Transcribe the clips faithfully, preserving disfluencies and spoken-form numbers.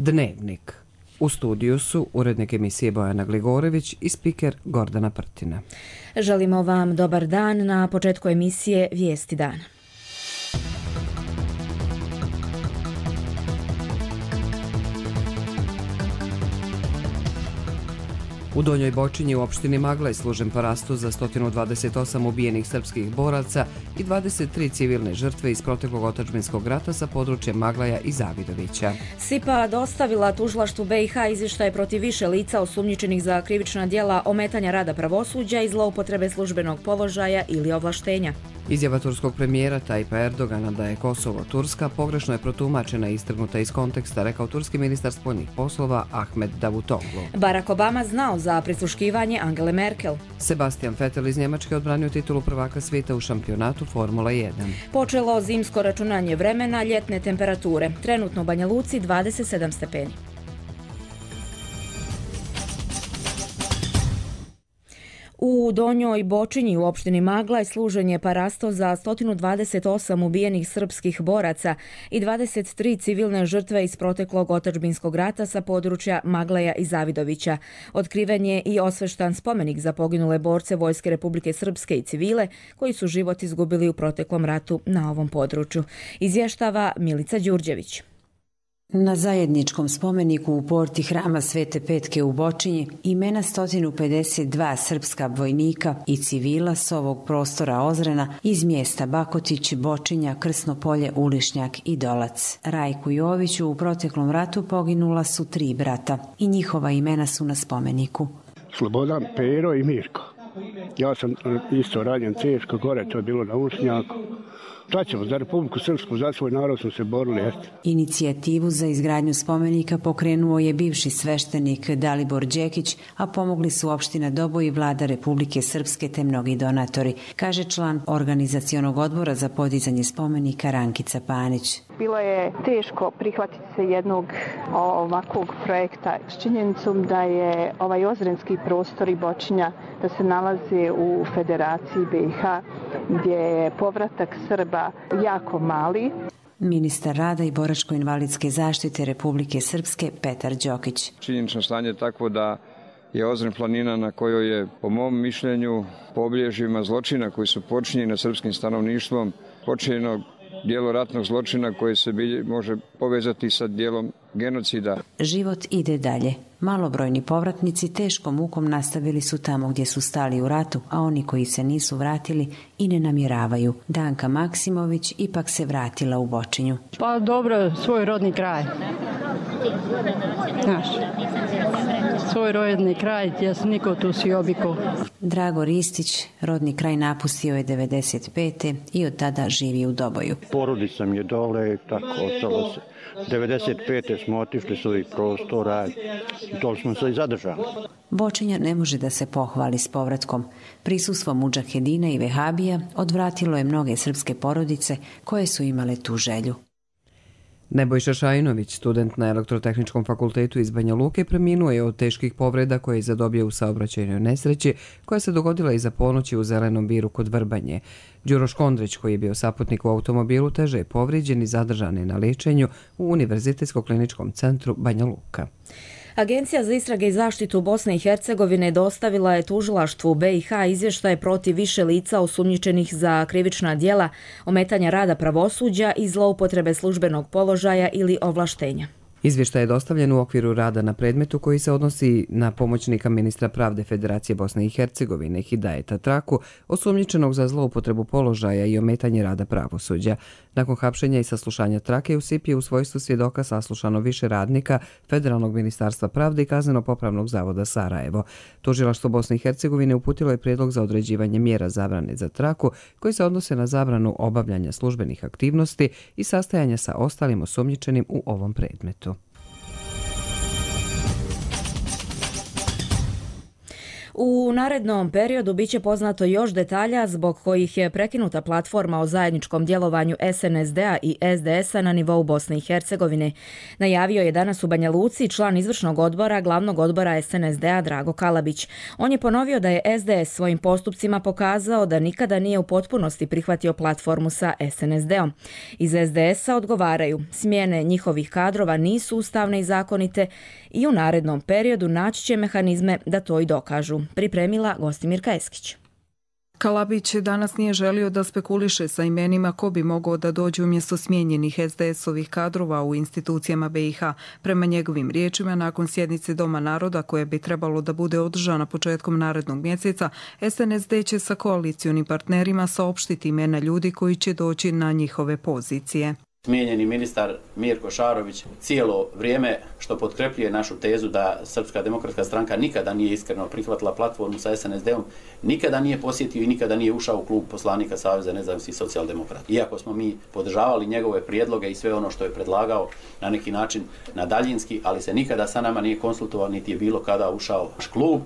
Dnevnik. U studiju su urednik emisije Bojana Gligorević i spiker Gordana Prtina. Želimo vam dobar dan na početku emisije Vijesti dana. U Donjoj Bočinji u opštini Maglaj služen parastu za sto dvadeset osam ubijenih srpskih boraca i dvadeset tri civilne žrtve iz proteklog otadžbinskog rata sa područja Maglaja i Zavidovića. S I P A dostavila tužilaštvu B I H izvještaje protiv više lica osumnjičenih za krivična djela ometanja rada pravosuđa i zloupotrebe službenog položaja ili ovlaštenja. Izjava turskog premijera Tajpa Erdogana da je Kosovo Turska pogrešno je protumačena i istrgnuta iz konteksta, rekao turski ministar spoljnih poslova Ahmed Davutoglu. Barack Obama znao za prisluškivanje Angele Merkel. Sebastian Vettel iz Njemačke odbranio titulu prvaka svijeta u šampionatu Formula jedan. Počelo zimsko računanje vremena, ljetne temperature. Trenutno u Banja Luci dvadeset sedam stepeni. U Donjoj Bočinji u opštini Maglaj služen je parasto za sto dvadeset osam ubijenih srpskih boraca i dvadeset tri civilne žrtve iz proteklog otadžbinskog rata sa područja Maglaja i Zavidovića. Otkriven je i osveštan spomenik za poginule borce Vojske Republike Srpske i civile koji su život izgubili u proteklom ratu na ovom području. Izvještava Milica Đurđević. Na zajedničkom spomeniku u porti hrama Svete Petke u Bočinji imena sto pedeset dva srpska vojnika i civila s ovog prostora Ozrena iz mjesta Bakotić, Bočinja, Krsno polje, Ulišnjak i Dolac. Rajku Joviću u proteklom ratu poginula su tri brata i njihova imena su na spomeniku. Slobodan, Pero i Mirko. Ja sam isto ranjen teško gore, to je bilo na Ulišnjaku. Šta ćemo, za Republiku Srpsku, za svoj narod smo se borili. Jeste. Inicijativu za izgradnju spomenika pokrenuo je bivši sveštenik Dalibor Đekić, a pomogli su opština Doboj i vlada Republike Srpske te mnogi donatori, kaže član organizacionog odbora za podizanje spomenika Rankica Panić. Bilo je teško prihvatiti se jednog ovakvog projekta s činjenicom da je ovaj ozrenski prostor i Bočinja da se nalaze u Federaciji B I H gdje je povratak Srba jako mali. Ministar rada i boračko-invalidske zaštite Republike Srpske Petar Đokić. Činjenično stanje je takvo da je Ozren planina na kojoj je, po mom mišljenju, po obilježjima zločina koji su počinjeni nad srpskim stanovništvom, počinjeno dijelo ratnog zločina koje se može povezati sa dijelom genocida. Život ide dalje. Malobrojni povratnici teškom mukom nastavili su tamo gdje su stali u ratu, a oni koji se nisu vratili i ne namjeravaju. Danka Maksimović ipak se vratila u Bočinju. Pa dobro, svoj rodni kraj. Znaš, svoj rodni kraj, ja sam niko tu si obiko. Drago Ristić rodni kraj napustio je devedeset pete i od tada živi u Doboju. Porodica mi je dole, tako ostalo se. devedeset pete smo otišli s ovih prostora i to smo se i zadržali. Bočinja ne može da se pohvali s povratkom. Prisustvom mudžahedina i vehabija odvratilo je mnoge srpske porodice koje su imale tu želju. Nebojša Šajinović, student na Elektrotehničkom fakultetu iz Banja Luke, preminuo je od teških povreda koje je zadobio u saobraćajnoj nesreći koja se dogodila iza ponoći u Zelenom Biru kod Vrbanje. Đuro Škondrić, koji je bio saputnik u automobilu, teže je povrijeđen i zadržan je na liječenju u Univerzitetsko-kliničkom centru Banja Luka. Agencija za istrage i zaštitu Bosne i Hercegovine dostavila je tužilaštvu B I H izvještaje protiv više lica osumnjičenih za krivična djela, ometanja rada pravosuđa i zloupotrebe službenog položaja ili ovlaštenja. Izvještaj je dostavljen u okviru rada na predmetu koji se odnosi na pomoćnika ministra pravde Federacije Bosne i Hercegovine Hidajeta Traku, osumnjičenog za zloupotrebu položaja i ometanje rada pravosuđa. Nakon hapšenja i saslušanja Trake u S I P je u svojstvu svjedoka saslušano više radnika Federalnog ministarstva pravde i Kazneno-popravnog zavoda Sarajevo. Tužilaštvo Bosne i Hercegovine uputilo je prijedlog za određivanje mjera zabrane za Traku koji se odnose na zabranu obavljanja službenih aktivnosti i sastajanja sa ostalim osumnjičenim u ovom predmetu. U narednom periodu biće poznato još detalja zbog kojih je prekinuta platforma o zajedničkom djelovanju S N S D-a i S D S-a na nivou Bosne i Hercegovine. Najavio je danas u Banja Luci član izvršnog odbora glavnog odbora S N S D-a Drago Kalabić. On je ponovio da je S D S svojim postupcima pokazao da nikada nije u potpunosti prihvatio platformu sa S N S D-om. Iz S D S-a odgovaraju, smjene njihovih kadrova nisu ustavne i zakonite i u narednom periodu naći će mehanizme da to i dokažu. Pripremila Gostimirka Eskić. Kalabić danas nije želio da spekuliše sa imenima ko bi mogao da dođe umjesto smijenjenih S D S-ovih kadrova u institucijama B i H. Prema njegovim riječima, nakon sjednice Doma naroda koja bi trebalo da bude održana početkom narednog mjeseca, S N S D će sa koalicionim partnerima saopštiti imena ljudi koji će doći na njihove pozicije. Smijenjeni ministar Mirko Šarović cijelo vrijeme, što potkrepljuje našu tezu da Srpska demokratska stranka nikada nije iskreno prihvatila platformu sa S N S D-om, nikada nije posjetio i nikada nije ušao u klub poslanika Saveza nezavisnih socijaldemokrata. Iako smo mi podržavali njegove prijedloge i sve ono što je predlagao na neki način na daljinski, ali se nikada sa nama nije konsultovao niti je bilo kada ušao u naš klub.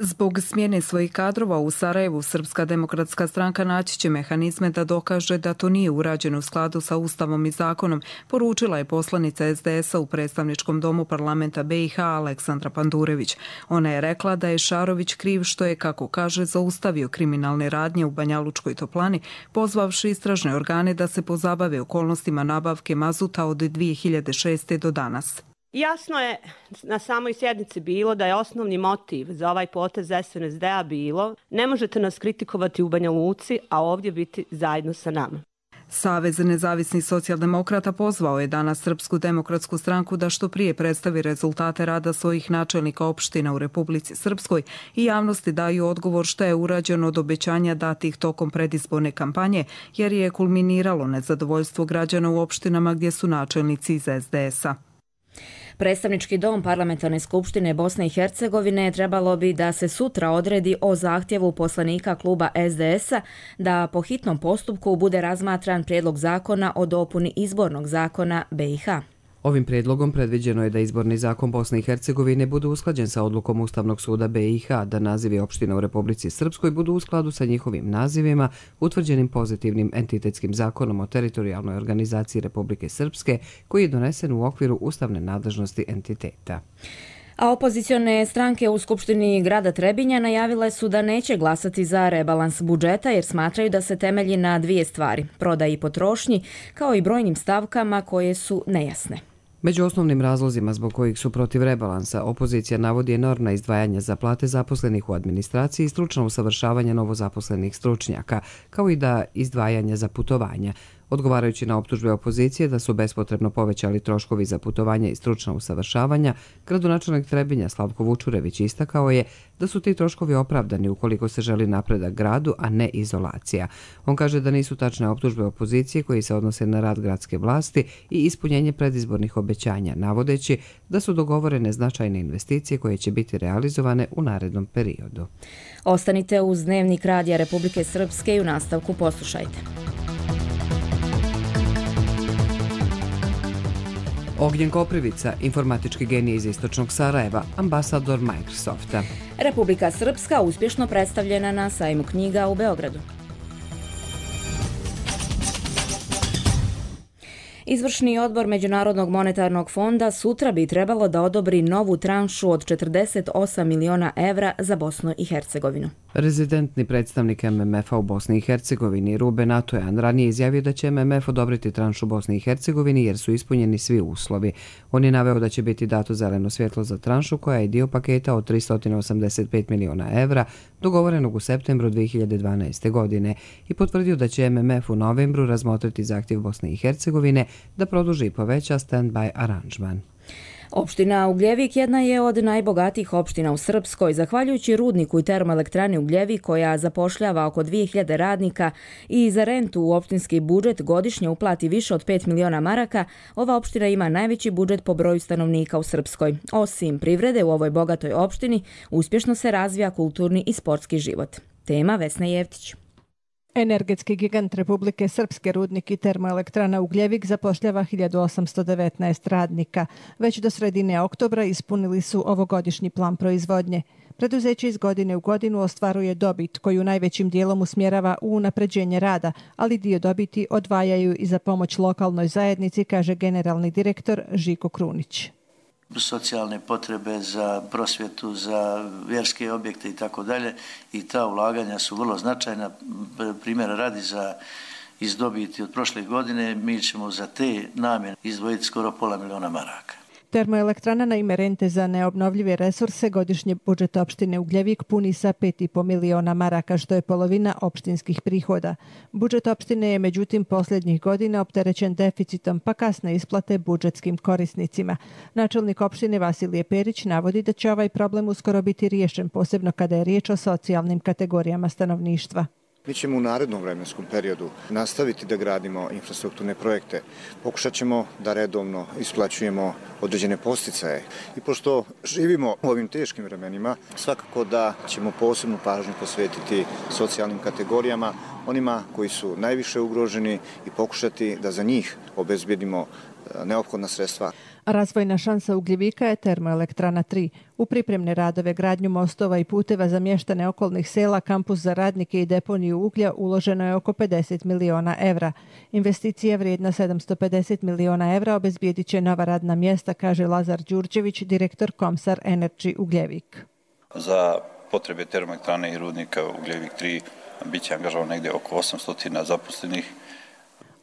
Zbog smjene svojih kadrova u Sarajevu, Srpska demokratska stranka naći će mehanizme da dokaže da to nije urađeno u skladu sa Ustavom i zakonom, poručila je poslanica S D S-a u predstavničkom domu parlamenta B i H Aleksandra Pandurević. Ona je rekla da je Šarović kriv što je, kako kaže, zaustavio kriminalne radnje u Banjalučkoj toplani, pozvavši istražne organe da se pozabave okolnostima nabavke mazuta od dvije hiljade šeste. do danas. Jasno je na samoj sjednici bilo da je osnovni motiv za ovaj potez S N S D-a bilo ne možete nas kritikovati u Banja Luci, a ovdje biti zajedno sa nama. Savez nezavisnih socijaldemokrata pozvao je danas Srpsku demokratsku stranku da što prije predstavi rezultate rada svojih načelnika opština u Republici Srpskoj i javnosti daju odgovor što je urađeno od obećanja datih tokom predizborne kampanje, jer je kulminiralo nezadovoljstvo građana u opštinama gdje su načelnici iz S D S-a. Predstavnički dom Parlamentarne skupštine Bosne i Hercegovine trebalo bi da se sutra odredi o zahtjevu poslanika kluba S D S-a da po hitnom postupku bude razmatran prijedlog zakona o dopuni izbornog zakona B i H. Ovim prijedlogom predviđeno je da izborni zakon Bosne i Hercegovine bude usklađen sa odlukom Ustavnog suda B i H, da nazivi opština u Republici Srpskoj budu u skladu sa njihovim nazivima, utvrđenim pozitivnim entitetskim zakonom o teritorijalnoj organizaciji Republike Srpske, koji je donesen u okviru ustavne nadležnosti entiteta. A opozicione stranke u Skupštini grada Trebinja najavile su da neće glasati za rebalans budžeta jer smatraju da se temelji na dvije stvari, prodaji i potrošnji, kao i brojnim stavkama koje su nejasne. Među osnovnim razlozima zbog kojih su protiv rebalansa, opozicija navodi enormna izdvajanja za plate zaposlenih u administraciji i stručno usavršavanje novozaposlenih stručnjaka, kao i da izdvajanja za putovanja. Odgovarajući na optužbe opozicije da su bespotrebno povećali troškovi za putovanja i stručna usavršavanja, gradonačelnik Trebinja Slavko Vučurević istakao je da su ti troškovi opravdani ukoliko se želi napredak gradu, a ne izolacija. On kaže da nisu tačne optužbe opozicije koji se odnose na rad gradske vlasti i ispunjenje predizbornih obećanja, navodeći da su dogovorene značajne investicije koje će biti realizovane u narednom periodu. Ostanite uz Dnevnik Radija Republike Srpske i u nastavku poslušajte. Ognjen Koprivica, informatički genij iz istočnog Sarajeva, ambasador Microsofta. Republika Srpska uspješno predstavljena na sajmu knjiga u Beogradu. Izvršni odbor Međunarodnog monetarnog fonda sutra bi trebalo da odobri novu tranšu od četrdeset osam miliona evra za Bosnu i Hercegovinu. Rezidentni predstavnik M M F-a u Bosni i Hercegovini Ruben Atojan ranije izjavio da će M M F odobriti tranšu Bosni i Hercegovini jer su ispunjeni svi uslovi. On je naveo da će biti dato zeleno svjetlo za tranšu koja je dio paketa od tristo osamdeset pet miliona evra dogovorenog u septembru dvije hiljade dvanaeste. godine i potvrdio da će M M F u novembru razmotriti zahtjev Bosne i Hercegovine da produži i poveća stand-by aranžman. Opština Ugljevik jedna je od najbogatijih opština u Srpskoj, zahvaljujući rudniku i termoelektrani Ugljevik koja zapošljava oko dvije hiljade radnika i za rentu u opštinski budžet godišnje uplati više od pet miliona maraka. Ova opština ima najveći budžet po broju stanovnika u Srpskoj. Osim privrede u ovoj bogatoj opštini, uspješno se razvija kulturni i sportski život. Tema Vesna Jevtić. Energetski gigant Republike Srpske rudnik i termoelektrana Ugljevik zapošljava hiljadu osamsto devetnaest radnika. Već do sredine oktobra ispunili su ovogodišnji plan proizvodnje. Preduzeće iz godine u godinu ostvaruje dobit koju najvećim dijelom usmjerava u unapređenje rada, ali dio dobiti odvajaju i za pomoć lokalnoj zajednici, kaže generalni direktor Žiko Krunić. Socijalne potrebe za prosvjetu, za vjerske objekte i tako dalje, i ta ulaganja su vrlo značajna. Primjera radi, za iz dobiti od prošle godine mi ćemo za te namjene izdvojiti skoro pola miliona maraka. Termoelektrana na ime rente za neobnovljive resurse godišnje budžet opštine Ugljevik puni sa pet i po miliona maraka, što je polovina opštinskih prihoda. Budžet opštine je međutim posljednjih godina opterećen deficitom, pa kasne isplate budžetskim korisnicima. Načelnik opštine Vasilije Perić navodi da će ovaj problem uskoro biti riješen, posebno kada je riječ o socijalnim kategorijama stanovništva. Mi ćemo u narednom vremenskom periodu nastaviti da gradimo infrastrukturne projekte. Pokušat ćemo da redovno isplaćujemo određene podsticaje. I pošto živimo u ovim teškim vremenima, svakako da ćemo posebnu pažnju posvetiti socijalnim kategorijama, onima koji su najviše ugroženi, i pokušati da za njih obezbedimo neophodna sredstva. Razvojna šansa Ugljevika je Termoelektrana tri. U pripremne radove, gradnju mostova i puteva za mještane okolnih sela, kampus za radnike i deponiju uglja uloženo je oko pedeset miliona evra. Investicija vrijedna sedamsto pedeset miliona evra obezbijedit će nova radna mjesta, kaže Lazar Đurđević, direktor Komsar Energy Ugljevik. Za potrebe termoelektrane i rudnika Ugljevik tri bit će angažovano negdje oko osamsto zaposlenih.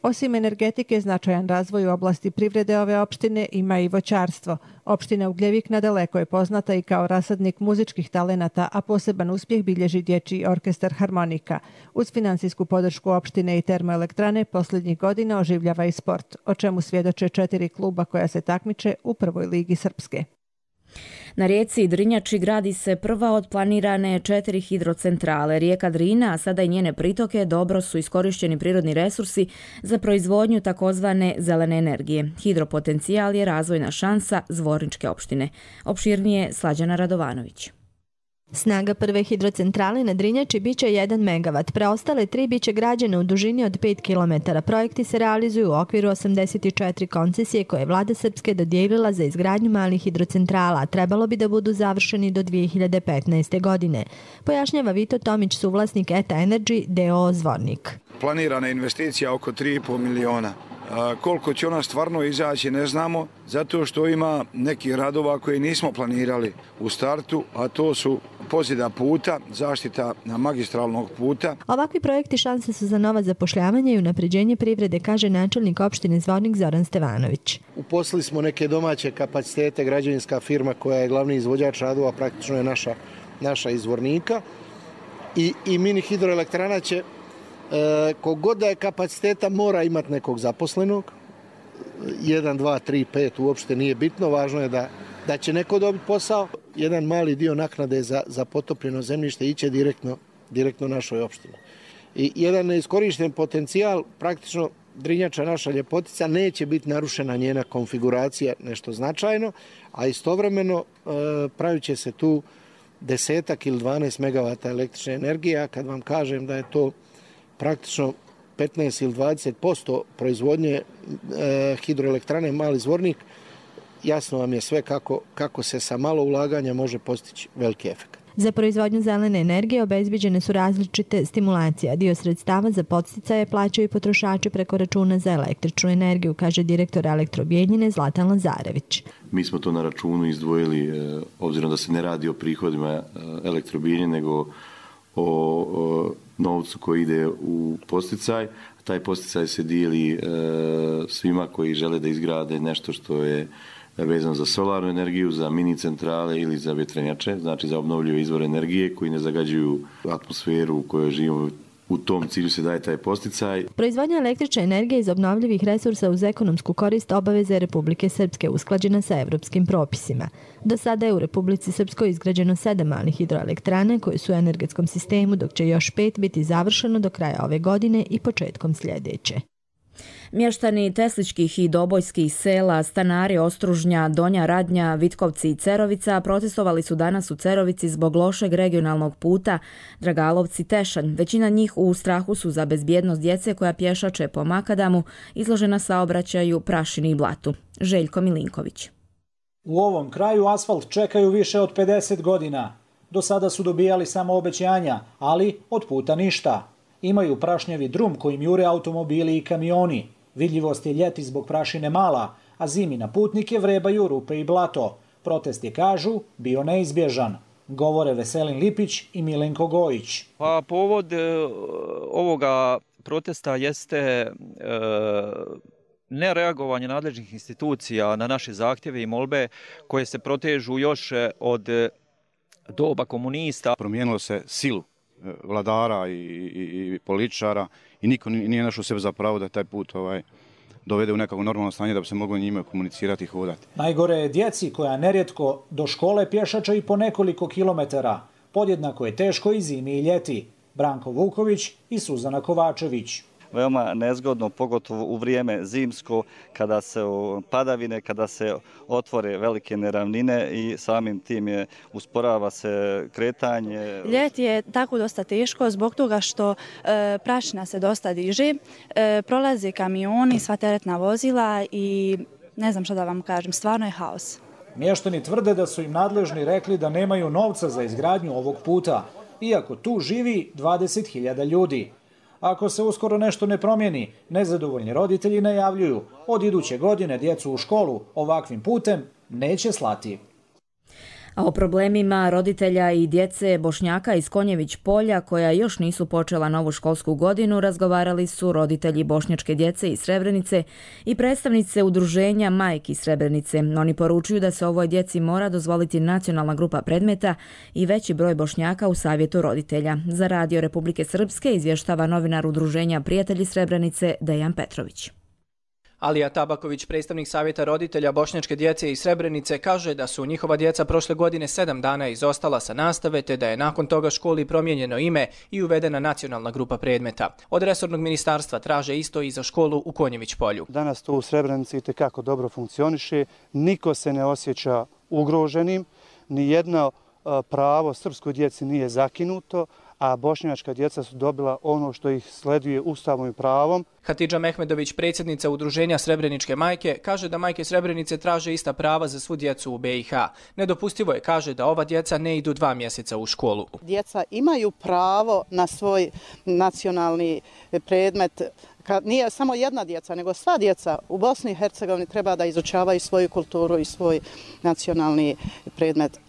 Osim energetike, značajan razvoj u oblasti privrede ove opštine ima i voćarstvo. Opština Ugljevik nadaleko je poznata i kao rasadnik muzičkih talenata, a poseban uspjeh bilježi dječji orkestar Harmonika. Uz finansijsku podršku opštine i termoelektrane posljednjih godina oživljava i sport, o čemu svjedoče četiri kluba koja se takmiče u prvoj ligi Srpske. Na rijeci Drinjači gradi se prva od planirane četiri hidrocentrale. Rijeka Drina, a sada i njene pritoke, dobro su iskorišteni prirodni resursi za proizvodnju takozvane zelene energije. Hidropotencijal je razvojna šansa Zvorničke opštine. Opširnije Slađana Radovanović. Snaga prve hidrocentrale na Drinjači biće jedan megavat, preostale tri biće građene u dužini od pet kilometara. Projekti se realizuju u okviru osamdeset četiri koncesije koje je vlada Srpske dodijelila za izgradnju malih hidrocentrala, a trebalo bi da budu završeni do dvije hiljade petnaeste. godine. Pojašnjava Vito Tomić, suvlasnik E T A Energy d o o Zvornik. Planirana investicija oko tri i po miliona. A koliko će ona stvarno izaći ne znamo, zato što ima nekih radova koje nismo planirali u startu, a to su pozida puta, zaštita magistralnog puta. Ovakvi projekti šanse su za nova zapošljavanja i unapređenje privrede, kaže načelnik opštine Zvornik Zoran Stevanović. Uposlili smo neke domaće kapacitete, građevinska firma koja je glavni izvođač radova, praktično je naša, naša iz Zvornika, i, i mini hidroelektrana će, E, kogod da je kapaciteta, mora imati nekog zaposlenog. jedan, dva, tri, pet uopšte nije bitno, važno je da, da će neko dobiti posao. Jedan mali dio naknade za, za potopljeno zemljište iće direktno, direktno našoj opštini. I jedan neiskorišten potencijal, praktično Drinjača, naša ljepotica, neće biti narušena njena konfiguracija, nešto značajno, a istovremeno e, pravit će se tu desetak ili dvanaest megavata električne energije, a kad vam kažem da je to praktično petnaest ili dvadeset posto proizvodnje e, hidroelektrane Mali Zvornik, jasno vam je sve kako, kako se sa malo ulaganja može postići veliki efekt. Za proizvodnju zelene energije obezbiđene su različite stimulacije, a dio sredstava za podsticaje plaćaju potrošači preko računa za električnu energiju, kaže direktor Elektrobijednine Zlatan Lazarević. Mi smo to na računu izdvojili, obzirom da se ne radi o prihodima Elektrobijedine, nego o, o novcu koji ide u posticaj. Taj posticaj se dijeli e, svima koji žele da izgrade nešto što je vezano za solarnu energiju, za mini centrale ili za vjetrenjače, znači za obnovljive izvore energije koji ne zagađuju atmosferu u kojoj živimo. U tom cilju se daje taj posticaj. Proizvodnja električne energije iz obnovljivih resursa uz ekonomsku korist obaveze Republike Srpske usklađena sa evropskim propisima. Do sada je u Republici Srpskoj izgrađeno sedam malih hidroelektrana koje su u energetskom sistemu, dok će još pet biti završeno do kraja ove godine i početkom sljedeće. Mještani Tesličkih i Dobojskih sela, stanari Ostružnja, Donja Radnja, Vitkovci i Cerovica protestovali su danas u Cerovici zbog lošeg regionalnog puta Dragalovci-Tešanj. Većina njih u strahu su za bezbjednost djece koja pješače po makadamu, izložena saobraćaju, prašini i blatu. Željko Milinković. U ovom kraju asfalt čekaju više od pedeset godina. Do sada su dobijali samo obećanja, ali od puta ništa. Imaju prašnjavi drum kojim jure automobili i kamioni. Vidljivost je ljeti zbog prašine mala, a zimi na putnike vrebaju rupe i blato. Protest je, kažu, bio neizbježan. Govore Veselin Lipić i Milenko Gojić. Pa povod e, ovoga protesta jeste e, nereagovanje nadležnih institucija na naše zahtjeve i molbe koje se protežu još od doba komunista. Promijenilo se silu vladara i, i, i političara i niko nije našao sebe za pravo da taj put ovaj, dovede u nekako normalno stanje da bi se moglo njime komunicirati i hodati. Najgore je djeci koja nerijetko do škole pješače i po nekoliko kilometara. Podjednako je teško i zimi i ljeti. Branko Vuković i Suzana Kovačević. Veoma nezgodno, pogotovo u vrijeme zimsko, kada se padavine, kada se otvore velike neravnine i samim tim je usporava se kretanje. Ljeti je tako dosta teško zbog toga što e, prašina se dosta diže, e, prolaze kamioni, sva teretna vozila i ne znam što da vam kažem, stvarno je haos. Mještani tvrde da su im nadležni rekli da nemaju novca za izgradnju ovog puta, iako tu živi dvadeset hiljada ljudi. Ako se uskoro nešto ne promijeni, nezadovoljni roditelji najavljuju od iduće godine djecu u školu ovakvim putem neće slati. A o problemima roditelja i djece Bošnjaka iz Konjević polja koja još nisu počela novu školsku godinu razgovarali su roditelji bošnjačke djece iz Srebrenice i predstavnice udruženja Majki iz Srebrenice. Oni poručuju da se ovoj djeci mora dozvoliti nacionalna grupa predmeta i veći broj Bošnjaka u savjetu roditelja. Za Radio Republike Srpske izvještava novinar udruženja Prijatelji Srebrenice Dejan Petrović. Alija Tabaković, predstavnik savjeta roditelja bošnjačke djece iz Srebrenice, kaže da su njihova djeca prošle godine sedam dana izostala sa nastave, te da je nakon toga školi promijenjeno ime i uvedena nacionalna grupa predmeta. Od resornog ministarstva traže isto i za školu u Konjević polju. Danas to u Srebrenici itekako dobro funkcioniše, niko se ne osjeća ugroženim, nijedno pravo srpskoj djeci nije zakinuto, a bošnjačka djeca su dobila ono što ih sleduje ustavom i pravom. Hatidža Mehmedović, predsjednica udruženja Srebreničke majke, kaže da majke Srebrenice traže ista prava za svu djecu u be i ha. Nedopustivo je, kaže, da ova djeca ne idu dva mjeseca u školu. Djeca imaju pravo na svoj nacionalni predmet. Nije samo jedna djeca, nego sva djeca u Bosni i Hercegovini treba da izučavaju svoju kulturu i svoj nacionalni predmet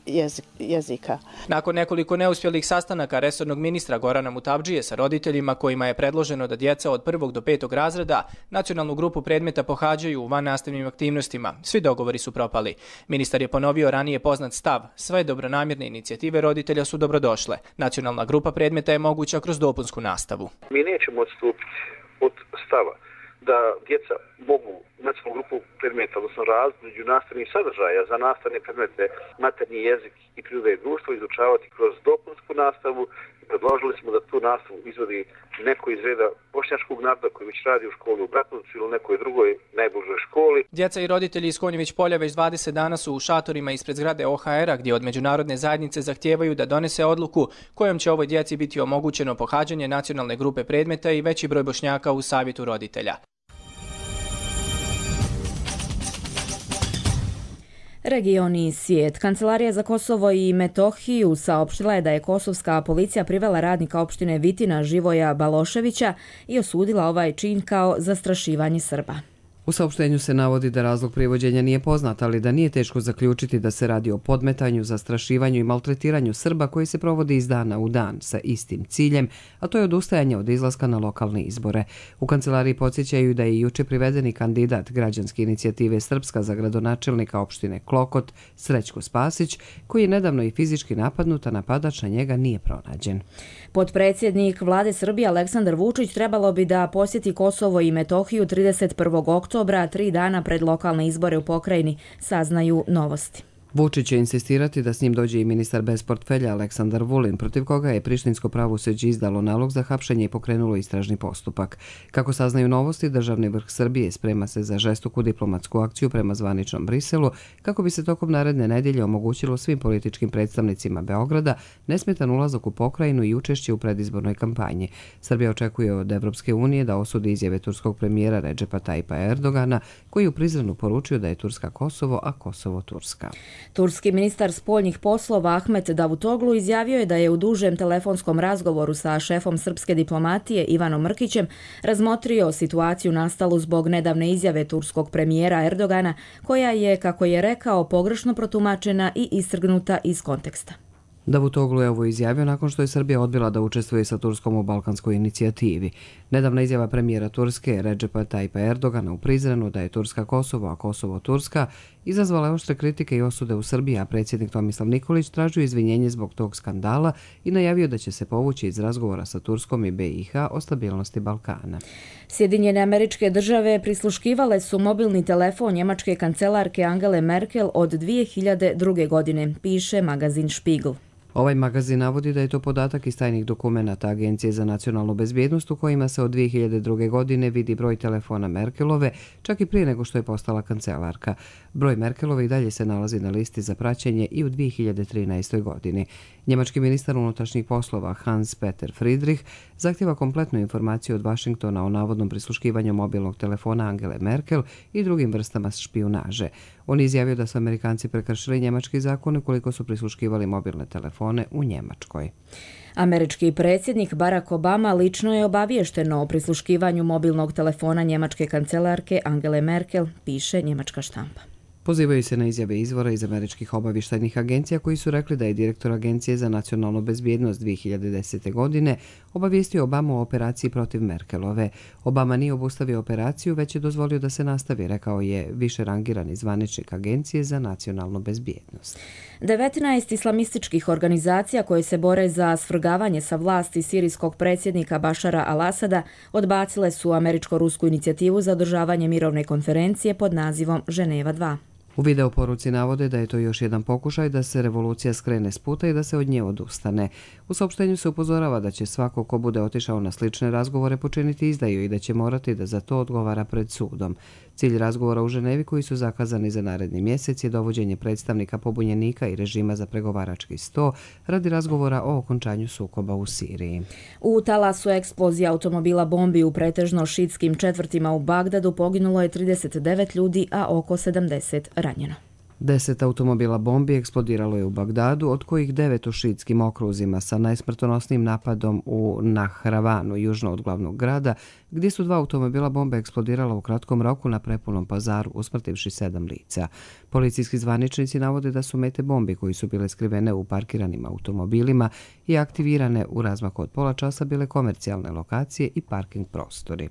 jezika. Nakon nekoliko neuspjelih sastanaka resornog ministra Gorana Mutabdžije sa roditeljima kojima je predloženo da djeca od prvog do petog razreda nacionalnu grupu predmeta pohađaju u vannastavnim aktivnostima, svi dogovori su propali. Ministar je ponovio ranije poznat stav, sve dobronamjerne inicijative roditelja su dobrodošle. Nacionalna grupa predmeta je moguća kroz dopunsku nastavu. Mi nećemo odstupiti od stava da djeca mogu nacionalnu grupu predmeta, odnosno razmeđu nastavnih sadržaja za nastavne predmete maternji jezik i priroda i društvo izučavati kroz dopunsku nastavu. Predložili smo da tu nastavu izvodi neko iz reda bošnjačkog naroda koji već radi u školi u Bratuncu ili nekoj drugoj najbližoj školi. Djeca i roditelji iz Konjević polja već dvadeset dana su u šatorima ispred zgrade o ha era gdje od međunarodne zajednice zahtijevaju da donese odluku kojom će ovoj djeci biti omogućeno pohađanje nacionalne grupe predmeta i veći broj Bošnjaka u savjetu roditelja. Regioni svijet. Kancelarija za Kosovo i Metohiju saopštila je da je kosovska policija privela radnika opštine Vitina Živoja Baloševića i osudila ovaj čin kao zastrašivanje Srba. U saopštenju se navodi da razlog privođenja nije poznat, ali da nije teško zaključiti da se radi o podmetanju, zastrašivanju i maltretiranju Srba koji se provodi iz dana u dan sa istim ciljem, a to je odustajanje od izlaska na lokalne izbore. U kancelariji podsjećaju da je juče privedeni kandidat građanske inicijative Srpska za gradonačelnika opštine Klokot, Srećko Spasić, koji je nedavno i fizički napadnut, a napadač na njega nije pronađen. Potpredsjednik vlade Srbije Aleksandar Vučić trebalo bi da posjeti Kosovo i Metohiju trideset prvog oktobra, tri dana pred lokalne izbore u pokrajini, saznaju Novosti. Vučić će insistirati da s njim dođe i ministar bez portfelja Aleksandar Vulin, protiv koga je prištinsko pravosuđe izdalo nalog za hapšenje i pokrenulo istražni postupak. Kako saznaju Novosti, državni vrh Srbije sprema se za žestoku diplomatsku akciju prema zvaničnom Briselu, kako bi se tokom naredne nedjelje omogućilo svim političkim predstavnicima Beograda nesmetan ulazak u pokrajinu i učešće u predizbornoj kampanji. Srbija očekuje od Evropske unije da osudi izjave turskog premijera Redžepa Tajipa Erdogana, koji u Prizrenu poručio da je Turska Kosovo, a Kosovo Turska. Turski ministar spoljnih poslova Ahmet Davutoglu izjavio je da je u dužem telefonskom razgovoru sa šefom srpske diplomatije Ivanom Mrkićem razmotrio situaciju nastalu zbog nedavne izjave turskog premijera Erdogana, koja je, kako je rekao, pogrešno protumačena i istrgnuta iz konteksta. Davutoglu je ovo izjavio nakon što je Srbija odbila da učestvuje sa Turskom u balkanskoj inicijativi. Nedavna izjava premijera Turske Redžepa Tajpa Erdogana u Prizrenu da je Turska Kosovo, a Kosovo Turska, izazvala je oštre kritike i osude u Srbiji, a predsjednik Tomislav Nikolić tražio izvinjenje zbog tog skandala i najavio da će se povući iz razgovora sa Turskom i B i H o stabilnosti Balkana. Sjedinjene Američke Države prisluškivale su mobilni telefon njemačke kancelarke Angele Merkel od dvije hiljade druge. godine, piše magazin Spiegel. Ovaj magazin navodi da je to podatak iz tajnih dokumenata Agencije za nacionalnu bezbjednost u kojima se od dvije hiljade druge. godine vidi broj telefona Merkelove, čak i prije nego što je postala kancelarka. Broj Merkelove i dalje se nalazi na listi za praćenje i u dvije hiljade trinaestoj. godini. Njemački ministar unutrašnjih poslova Hans-Peter Friedrich zahtjeva kompletnu informaciju od Vašingtona o navodnom prisluškivanju mobilnog telefona Angele Merkel i drugim vrstama špijunaže. On je izjavio da su Amerikanci prekršili njemački zakon ukoliko su prisluškivali mobilne telefone u Njemačkoj. Američki predsjednik Barack Obama lično je obaviješten o prisluškivanju mobilnog telefona njemačke kancelarke Angele Merkel, piše njemačka štampa. Pozivaju se na izjave izvora iz američkih obavještajnih agencija koji su rekli da je direktor Agencije za nacionalnu bezbjednost dvije hiljade desete. godine obavijestio Obamu o operaciji protiv Merkelove. Obama nije obustavio operaciju, već je dozvolio da se nastavi, rekao je više rangirani zvaničnik Agencije za nacionalnu bezbjednost. devetnaest islamističkih organizacija koje se bore za svrgavanje sa vlasti sirijskog predsjednika Bašara al-Asada odbacile su američko-rusku inicijativu za održavanje mirovne konferencije pod nazivom Ženeva dva. U video poruci navode da je to još jedan pokušaj da se revolucija skrene s puta i da se od nje odustane. U saopštenju se upozorava da će svako ko bude otišao na slične razgovore počiniti izdaju i da će morati da za to odgovara pred sudom. Cilj razgovora u Ženevi koji su zakazani za naredni mjesec je dovođenje predstavnika pobunjenika i režima za pregovarački sto radi razgovora o okončanju sukoba u Siriji. U talasu eksplozije automobila bombi u pretežno šiitskim četvrtima u Bagdadu poginulo je trideset devet ljudi, a oko sedamdeset ranjeno. Deset automobila bombi eksplodiralo je u Bagdadu, od kojih devet u šiitskim okruzima sa najsmrtonosnijim napadom u Nahravanu, južno od glavnog grada, gdje su dva automobila bombe eksplodirala u kratkom roku na prepunom pazaru, usmrtivši sedam lica. Policijski zvaničnici navode da su mete bombi koji su bile skrivene u parkiranim automobilima i aktivirane u razmaku od pola časa bile komercijalne lokacije i parking prostori.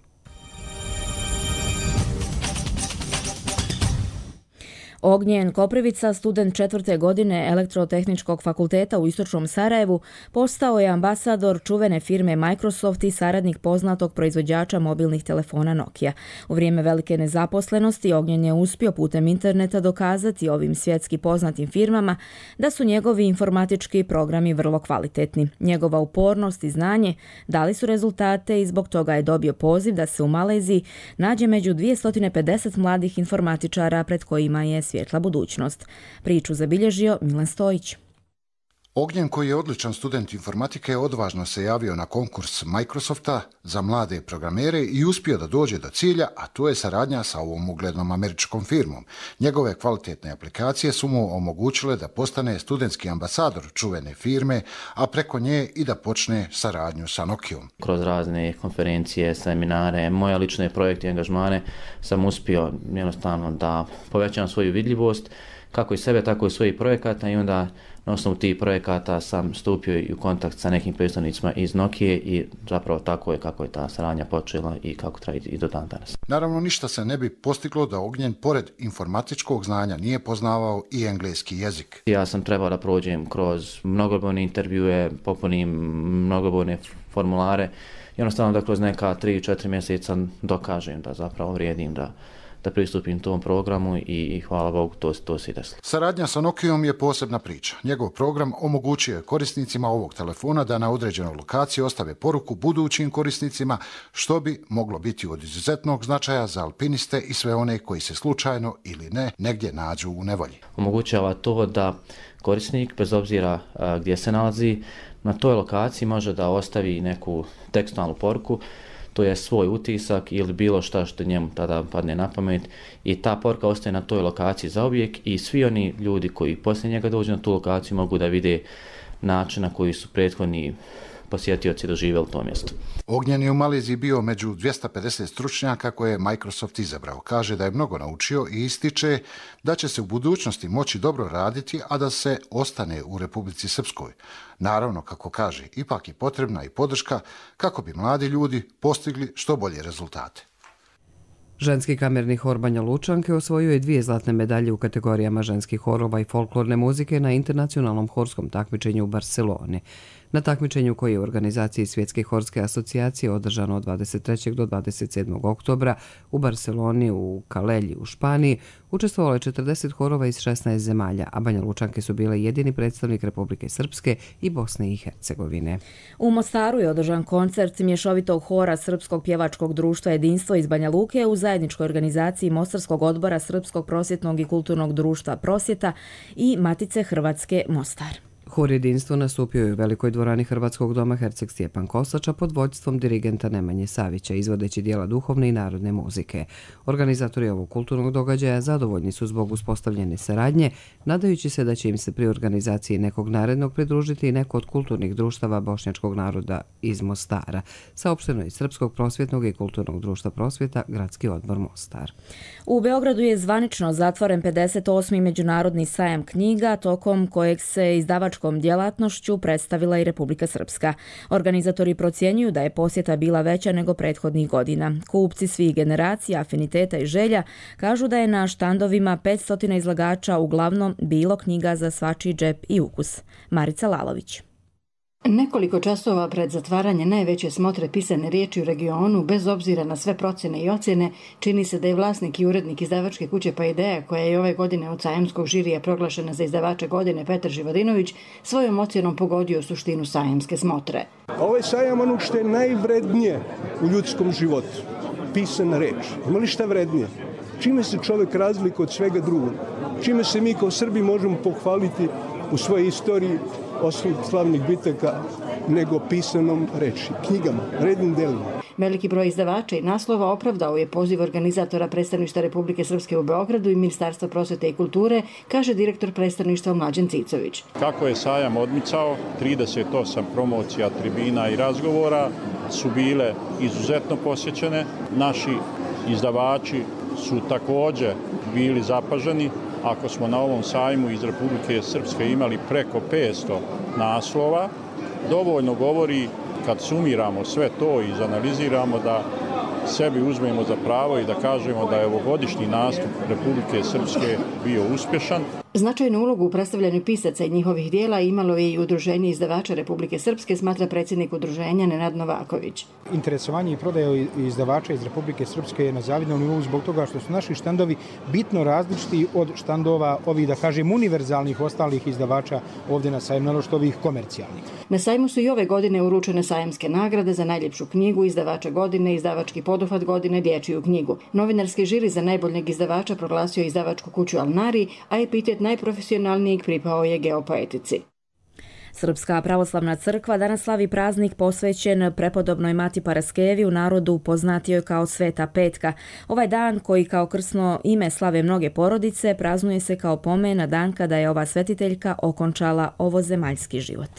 Ognjen Koprivica, student četvrte godine Elektrotehničkog fakulteta u Istočnom Sarajevu, postao je ambasador čuvene firme Microsoft i saradnik poznatog proizvođača mobilnih telefona Nokia. U vrijeme velike nezaposlenosti Ognjen je uspio putem interneta dokazati ovim svjetski poznatim firmama da su njegovi informatički programi vrlo kvalitetni. Njegova upornost i znanje dali su rezultate i zbog toga je dobio poziv da se u Maleziji nađe među dvjesto pedeset mladih informatičara pred kojima je svjetla budućnost. Priču zabilježio Milan Stojić. Ognjen, koji je odličan student informatike, odvažno se javio na konkurs Microsofta za mlade programere i uspio da dođe do cilja, a to je saradnja sa ovom uglednom američkom firmom. Njegove kvalitetne aplikacije su mu omogućile da postane studentski ambasador čuvene firme, a preko nje i da počne saradnju sa Nokijom. Kroz razne konferencije, seminare, moje lične projekte i angažmane sam uspio jednostavno da povećam svoju vidljivost, kako i sebe, tako i svojih projekata, i onda na osnovu tih projekata sam stupio i u kontakt sa nekim predstavnicima iz Nokije i zapravo tako je kako je ta saradnja počela i kako traje i do dan danas. Naravno, ništa se ne bi postiglo da Ognjen, pored informatičkog znanja, nije poznavao i engleski jezik. Ja sam trebao da prođem kroz mnogobrojne intervjue, popunim mnogobrojne formulare i jednostavno da kroz neka tri četiri mjeseca dokažem da zapravo vrijedim da da pristupim tom programu i, i hvala Bogu to, to se i desilo. Saradnja sa Nokijom je posebna priča. Njegov program omogućuje je korisnicima ovog telefona da na određenoj lokaciji ostave poruku budućim korisnicima, što bi moglo biti od izuzetnog značaja za alpiniste i sve one koji se slučajno ili ne negdje nađu u nevolji. Omogućava to da korisnik, bez obzira a, gdje se nalazi, na toj lokaciji može da ostavi neku tekstualnu poruku. to je svoj utisak ili bilo šta što njemu tada padne na pamet i ta poruka ostaje na toj lokaciji zauvijek i svi oni ljudi koji poslije njega dođu na tu lokaciju mogu da vide način na koji su prethodni posjetioci doživjeli to mjesto. Ognjen je u Maleziji bio među dvjesto pedeset stručnjaka koje je Microsoft izabrao. Kaže da je mnogo naučio i ističe da će se u budućnosti moći dobro raditi, a da se ostane u Republici Srpskoj. Naravno, kako kaže, ipak je potrebna i podrška kako bi mladi ljudi postigli što bolje rezultate. Ženski kamerni hor Banja Lučanke osvojio je dvije zlatne medalje u kategorijama ženskih horova i folklorne muzike na internacionalnom horskom takmičenju u Barceloni. Na takmičenju koje je u organizaciji Svjetske horske asocijacije održano od dvadeset trećeg do dvadeset sedmog oktobra u Barceloni u Kalelji u Španiji učestvovalo je četrdeset horova iz šesnaest zemalja, a Banja Lučanke su bile jedini predstavnik Republike Srpske i Bosne i Hercegovine. U Mostaru je održan koncert mješovitog hora Srpskog pjevačkog društva Jedinstvo iz Banja Luke u zajedničkoj organizaciji Mostarskog odbora Srpskog prosvjetnog i kulturnog društva Prosvjeta i Matice Hrvatske Mostar. Hor Jedinstvo nastupio je u velikoj dvorani Hrvatskog doma Herceg Stjepan Kosača pod vođstvom dirigenta Nemanje Savića, izvodeći dijela duhovne i narodne muzike. Organizatori ovog kulturnog događaja zadovoljni su zbog uspostavljene saradnje, nadajući se da će im se pri organizaciji nekog narednog pridružiti i neko od kulturnih društava bošnjačkog naroda iz Mostara, saopšteno iz Srpskog prosvjetnog i kulturnog društva Prosvjeta, Gradski odbor Mostar. U Beogradu je zvanično zatvoren pedeset osmi međunarodni sajam knjiga, tokom kojeg se izdavač djelatnošću predstavila i Republika Srpska. Organizatori procjenjuju da je posjeta bila veća nego prethodnih godina. Kupci svih generacija, afiniteta i želja kažu da je na štandovima petsto izlagača uglavnom bilo knjiga za svačiji džep i ukus. Marica Lalović. Nekoliko časova pred zatvaranje najveće smotre pisane riječi u regionu, bez obzira na sve procjene i ocjene, čini se da je vlasnik i urednik izdavačke kuće Paideia, koja je ove godine od sajamskog žirija proglašena za izdavača godine, Petar Živodinović, svojom ocjenom pogodio suštinu sajamske smotre. Ovaj sajam ono što je najvrednije u ljudskom životu, pisana reč. Ima li šta vrednije? Čime se čovjek razlikuje od svega drugog? Čime se mi kao Srbi možemo pohvaliti u svojoj istoriji osim slavnih bitaka nego pisanom reči, knjigama, rednim delima. Veliki broj izdavača i naslova opravdao je poziv organizatora predstavništva Republike Srpske u Beogradu i Ministarstva prosvete i kulture, kaže direktor predstavništva Mlađan Cicović. Kako je sajam odmicao, trideset osam promocija, tribina i razgovora su bile izuzetno posjećene. Naši izdavači su također bili zapaženi. Ako smo na ovom sajmu iz Republike Srpske imali preko petsto naslova, dovoljno govori kad sumiramo sve to i izanaliziramo da sebi uzmemo za pravo i da kažemo da je ovogodišnji nastup Republike Srpske bio uspješan. Značajnu ulogu u predstavljanju pisaca i njihovih dijela imalo je i Udruženje izdavača Republike Srpske, smatra predsjednik udruženja Nenad Novaković. Interesovanje i prodaja izdavača iz Republike Srpske je na zavidnom nivou zbog toga što su naši štandovi bitno različiti od štandova ovih, da kažem, univerzalnih ostalih izdavača ovdje na sajmu, naročito ovih komercijalnih. Na sajmu su i ove godine uručene sajamske nagrade za najljepšu knjigu, izdavača godine, izdavački poduhvat godine, dječju knjigu. Novinarski žiri za najboljeg izdavača proglasio izdavačku kuću Alnari, a epitet najprofesionalnijeg pripao je Geopoetici. Srpska pravoslavna crkva danas slavi praznik posvećen prepodobnoj Mati Paraskevi, u narodu poznatijoj kao Sveta Petka. Ovaj dan, koji kao krsno ime slave mnoge porodice, praznuje se kao pomen na dan kada je ova svetiteljka okončala ovozemaljski život.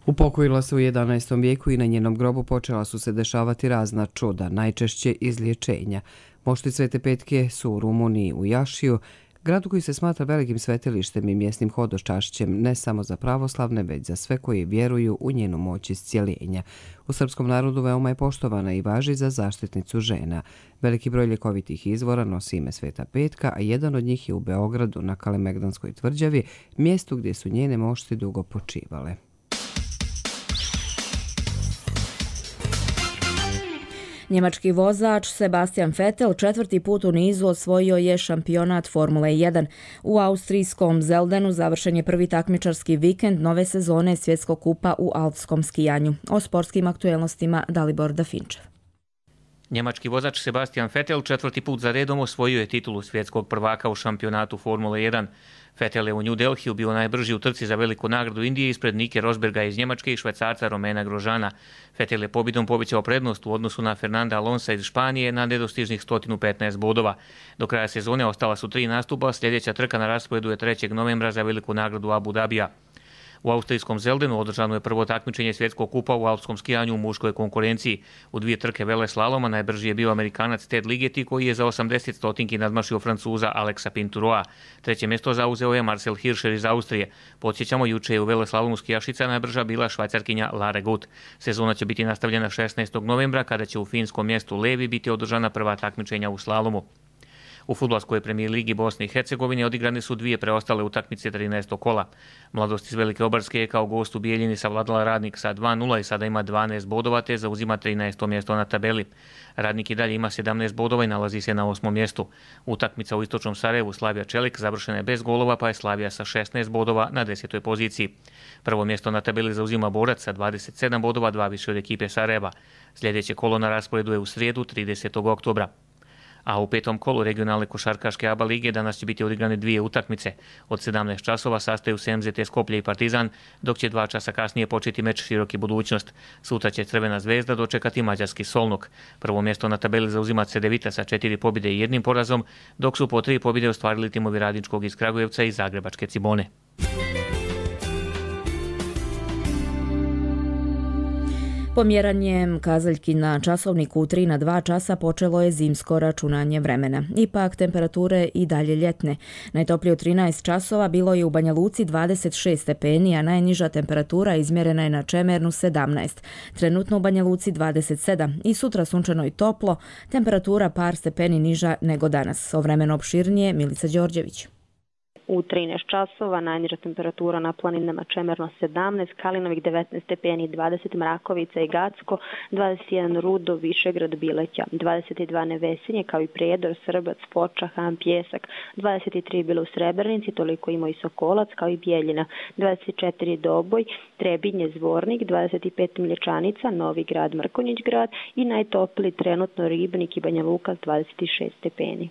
Upokojila se u jedanaestom vijeku i na njenom grobu počela su se dešavati razna čuda, najčešće izlječenja. Mošti Svete Petke su u Rumuniji u Jašiju, gradu koji se smatra velikim svetilištem i mjesnim hodočašćem ne samo za pravoslavne, već za sve koji vjeruju u njenu moć iscijeljenja. U srpskom narodu veoma je poštovana i važi za zaštitnicu žena. Veliki broj ljekovitih izvora nosi ime Sveta Petka, a jedan od njih je u Beogradu na Kalemegdanskoj tvrđavi, mjestu gdje su njene mošti dugo počivale. Njemački vozač Sebastian Vettel četvrti put u nizu osvojio je šampionat Formule jedan. U austrijskom Zeldenu završen je prvi takmičarski vikend nove sezone svjetskog kupa u alpskom skijanju. O sportskim aktuelnostima Dalibor Dafinčev. Njemački vozač Sebastian Vettel četvrti put za redom osvojio je titulu svjetskog prvaka u šampionatu Formule jedan. Vettel je u New Delhiju bio najbrži u trci za veliku nagradu Indije ispred Nike Rosberga iz Njemačke i Švajcarca Romena Grosjeana. Vettel je pobjedom povećao prednost u odnosu na Fernanda Alonsa iz Španije na nedostižnih sto petnaest bodova. Do kraja sezone ostala su tri nastupa, sljedeća trka na rasporedu je trećeg novembra za veliku nagradu Abu Dabija. U austrijskom Zeldenu održano je prvo takmičenje svjetskog kupa u alpskom skijanju u muškoj konkurenciji. U dvije trke vele slaloma najbrži je bio Amerikanac Ted Ligeti koji je za osamdeset stotinki nadmašio Francuza Alexa Pinturoa. Treće mjesto zauzeo je Marcel Hirscher iz Austrije. Podsjećamo, juče je u vele slalomu skijašica najbrža bila Švajcarkinja Lara Gut. Sezona će biti nastavljena šesnaestog novembra kada će u finskom mjestu Levi biti održana prva takmičenja u slalomu. U fudbalskoj premijer ligi Bosne i Hercegovine odigrane su dvije preostale utakmice trinaestog kola. Mladost iz Velike Obarske je kao gost u Bijeljini savladala Radnik sa dva nula i sada ima dvanaest bodova te zauzima trinaesto mjesto na tabeli. Radnik i dalje ima sedamnaest bodova i nalazi se na osmom mjestu. Utakmica u istočnom Sarajevu Slavija Čelik završena je bez golova pa je Slavija sa šesnaest bodova na desetoj poziciji. Prvo mjesto na tabeli zauzima Borac sa dvadeset sedam bodova, dva više od ekipe Sarajeva. Sljedeće kolo na rasporedu je u srijedu tridesetog oktobra. A u petom kolu regionalne košarkaške A B A lige danas će biti odigrane dvije utakmice. Od sedamnaest časova sastaju se M Z T Skoplje i Partizan, dok će dva časa kasnije početi meč Široki budućnost. Sutra će Crvena zvezda dočekati mađarski Solnok. Prvo mjesto na tabeli zauzima Cedevita sa četiri pobjede i jednim porazom, dok su po tri pobjede ostvarili timovi Radničkog iz Kragujevca i Zagrebačke Cibone. Pomjeranjem kazaljki na časovniku u tri na dva časa počelo je zimsko računanje vremena. Ipak temperature i dalje ljetne. Najtoplije u trinaest časova bilo je u Banja Luci dvadeset šest stepeni, a najniža temperatura izmjerena je na Čemernu sedamnaest. Trenutno u Banja Luci dvadeset sedam i sutra sunčano i toplo, temperatura par stepeni niža nego danas. O vremenu opširnije Milica Đorđević. U trinaest časova najniža temperatura na planinama Čemerno sedamnaest, Kalinovik devetnaest stepeni, dvadeset Mrakovica i Gacko, dvadeset jedan Rudo, Višegrad, Bileća, dvadeset dva Nevesinje kao i Prijedor, Srbac, Foča, Han, Pjesak, dvadeset tri bilo u Srebrenici, toliko ima i Sokolac kao i Bijeljina, dvadeset četiri Doboj, Trebinje, Zvornik, dvadeset pet Mlječanica, Novi Grad, Mrkonjić grad i najtopliji trenutno Ribnik i Banja Luka dvadeset šest stepeni.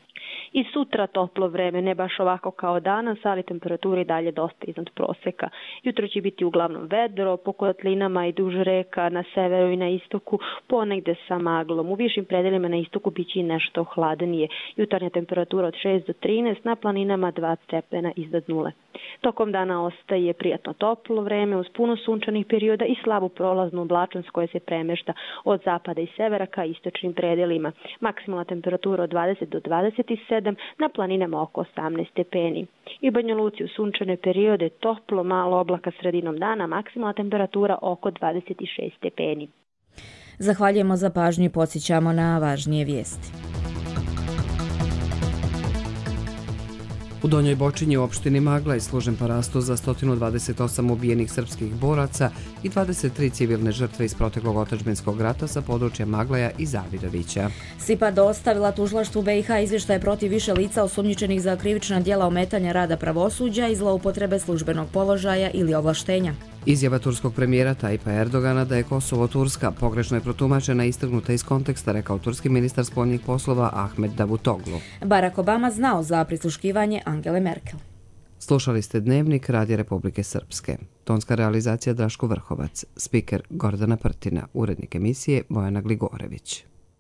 I sutra toplo vreme, ne baš ovako kao danas, ali temperatura i dalje dosta iznad proseka. Jutro će biti uglavnom vedro, po kotlinama i duž reka, na severu i na istoku, ponegde sa maglom. U višim predelima na istoku bit će i nešto hladnije. Jutarnja temperatura od šest do trinaest, na planinama dva stepena iznad nule. Tokom dana ostaje prijatno toplo vreme uz puno sunčanih perioda i slabu prolaznu oblačnost koja se premešta od zapada i severa ka istočnim predelima. Maksimalna temperatura od dvadeset do dvadeset sedam, na planinama oko osamnaest stepeni. I Banja Luci u sunčane periode toplo, malo oblaka sredinom dana, maksimalna temperatura oko dvadeset šest stepeni. Zahvaljujemo za pažnju i podsjećamo na važnije vijesti. U Donjoj Bočinji u opštini Magla je služen parasto za sto dvadeset osam ubijenih srpskih boraca i dvadeset tri civilne žrtve iz proteklog otadžbinskog rata sa područja Maglaja i Zavidovića. SIPA dostavila tužilaštvu B i H izvještaje protiv više lica osumnjičenih za krivična djela ometanja rada pravosuđa i zloupotrebe službenog položaja ili ovlaštenja. Izjava turskog premijera Tajpa Erdogana da je Kosovo Turska pogrešno je protumačena i istrgnuta iz konteksta, rekao turski ministar spoljnih poslova Ahmed Davutoglu. Barack Obama znao za prisluškivanje Angele Merkel. Slušali ste Dnevnik Radija Republike Srpske. Tonska realizacija Draško Vrhovac, spiker Gordana Prtina, urednik emisije Bojana Gligorević.